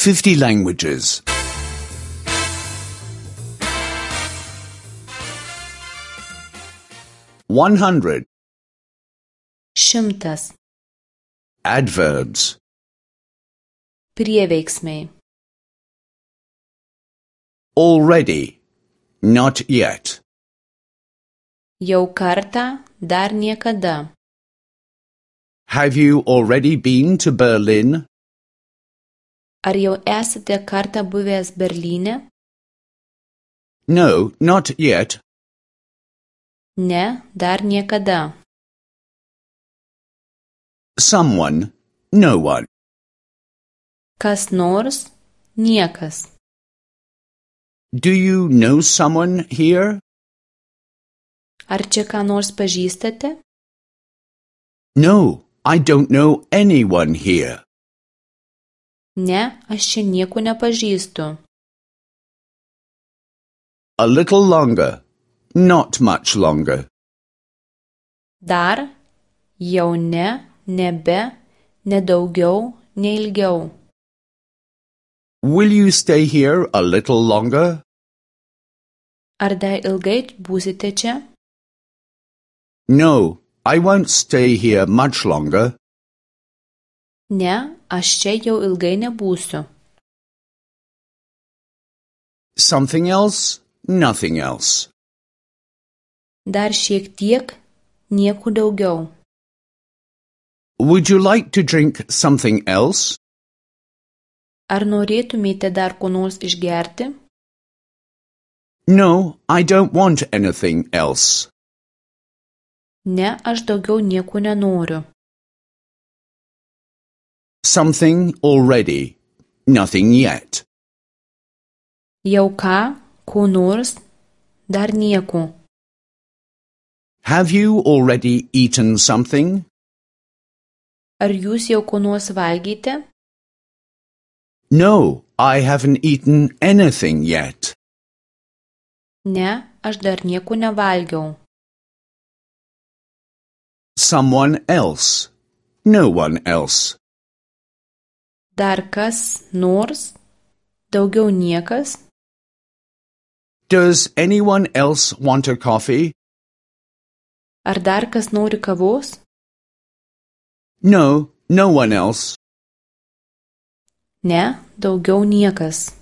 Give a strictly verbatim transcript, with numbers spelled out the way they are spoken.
fifty languages. one hundred. Šimtas. Adverbs. Prieveiksmiai. Already. Not yet. Jau kartą, dar niekada. Have you already been to Berlin? Ar jau esate kartą buvęs Berlyne? No, not yet. Ne, dar niekada. Someone, no one. Kas nors, niekas. Do you know someone here? Ar čia ką nors pažįstate? No, I don't know anyone here. Ne, aš čia nieko nepažįstu. A little longer. Not much longer. Dar, jau ne, nebe, ne daugiau, ne ilgiau. Will you stay here a little longer? Ar dar ilgai būsite čia? No, I won't stay here much longer. Ne, aš čia jau ilgai nebūsiu. Something else? Nothing else. Dar šiek tiek, nieko daugiau. Would you like to drink something else? Ar norėtumėte dar ko nors išgerti? No, I don't want anything else. Ne, aš daugiau nieko nenoriu. Something already. Nothing yet. Jau ką, ko nors, dar nieko. Have you already eaten something? Ar jūs jau ko nors valgėte? No, I haven't eaten anything yet. Ne, aš dar nieko nevalgiau. Someone else. No one else. Dar kas nors, daugiau niekas. Does anyone else want a coffee? Ar dar kas nori kavos? No, no one else. Ne, daugiau niekas.